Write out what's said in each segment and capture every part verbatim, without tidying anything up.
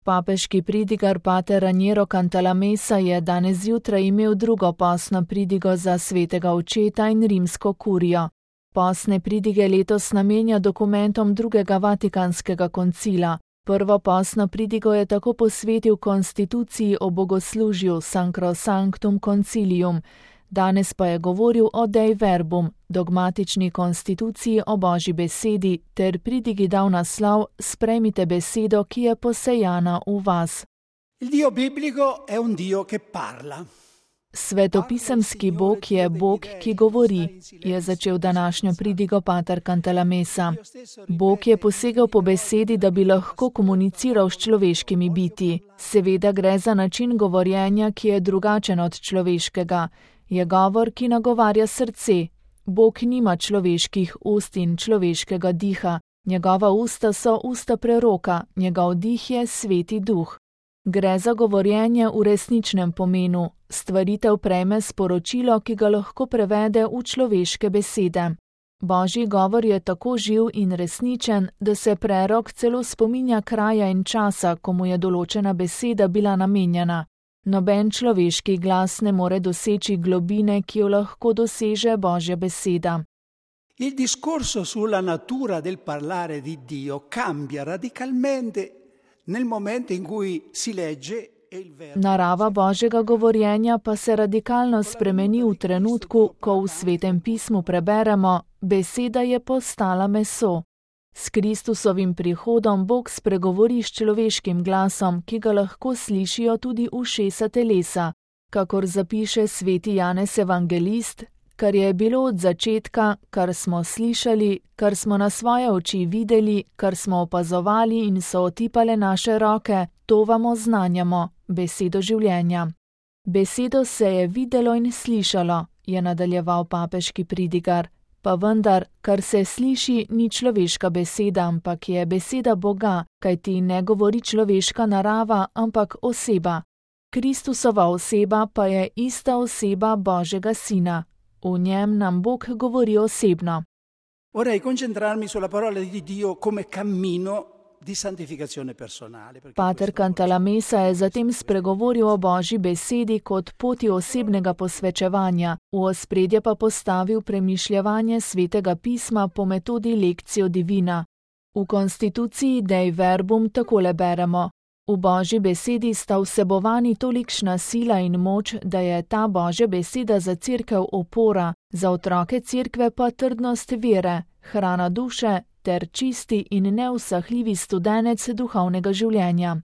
Papeški pridigar pater Raniero Cantalamessa je danes zjutraj imel drugo postno pridigo za svetega očeta in rimsko kurijo. Postne pridige letos namenja dokumentom drugega Vatikanskega koncila. Prvo postno pridigo je tako posvetil konstituciji o bogoslužju Sacrosanctum Concilium, danes pa je govoril o Dei Verbum, dogmatični konstituciji o Božji besedi, ter pridigi dal naslov Sprejmite besedo, ki je posejana v vas. Il Dio biblico è un Dio che parla. Svetopisemski Bog je Bog, ki govori, je začel današnjo pridigo pater Cantalamessa. Bog je posegel po besedi, da bi lahko komuniciral s človeškimi biti. Seveda gre za način govorjenja, ki je drugačen od človeškega. Je govor, ki nagovarja srce. Bog nima človeških ust in človeškega diha. Njegova usta so usta preroka, njegov dih je sveti duh. Gre za govorjenje v resničnem pomenu. Stvaritev prejme sporočilo, ki ga lahko prevede v človeške besede. Božji govor je tako živ in resničen, da se prerok celo spominja kraja in časa, ko mu je določena beseda bila namenjena. Noben človeški glas ne more doseči globine, ki jo lahko doseže Božja beseda. Il discorso sulla natura del parlare di Dio cambia radicalmente nel momento in cui si legge. Narava Božjega govorjenja pa se radikalno spremeni v trenutku, ko v Svetem pismu preberemo: beseda je postala meso. S Kristusovim prihodom Bog spregovori s človeškim glasom, ki ga lahko slišijo tudi ušesa telesa. Kakor zapiše sveti Janez Evangelist, kar je bilo od začetka, kar smo slišali, kar smo na svoje oči videli, kar smo opazovali in so otipale naše roke, to vam oznanjamo, besedo življenja. Besedo se je videlo in slišalo, je nadaljeval papeški pridigar. Pa vendar, kar se sliši, ni človeška beseda, ampak je beseda Boga, kajti ne govori človeška narava, ampak oseba. Kristusova oseba pa je ista oseba Božjega Sina. V njem nam Bog govori osebno. Vorrei concentrarmi sulla parola di Dio come cammino di santificazione personale. Pater Cantalamessa je zatem spregovoril o Božji besedi kot poti osebnega posvečevanja, v ospredje pa postavil premišljevanje svetega pisma po metodi Lectio Divina. V konstituciji Dei Verbum takole beremo: v Božji besedi sta vsebovani tolikšna sila in moč, da je ta Božja beseda za cerkev opora, za otroke cerkve pa trdnost vere, hrana duše ter čisti in neusahljivi studenec duhovnega življenja.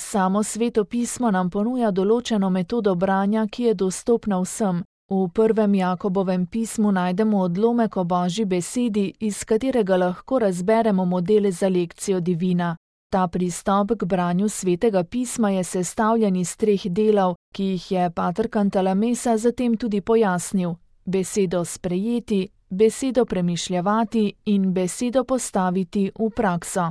Samo Sveto pismo nam ponuja določeno metodo branja, ki je dostopna vsem. V prvem Jakobovem pismu najdemo odlomek o Božji besedi, iz katerega lahko razberemo modele za Lectio Divina. Ta pristop k branju Svetega pisma je sestavljen iz treh delov, ki jih je pater Cantalamessa zatem tudi pojasnil: besedo sprejeti, besedo premišljevati in besedo postaviti v prakso.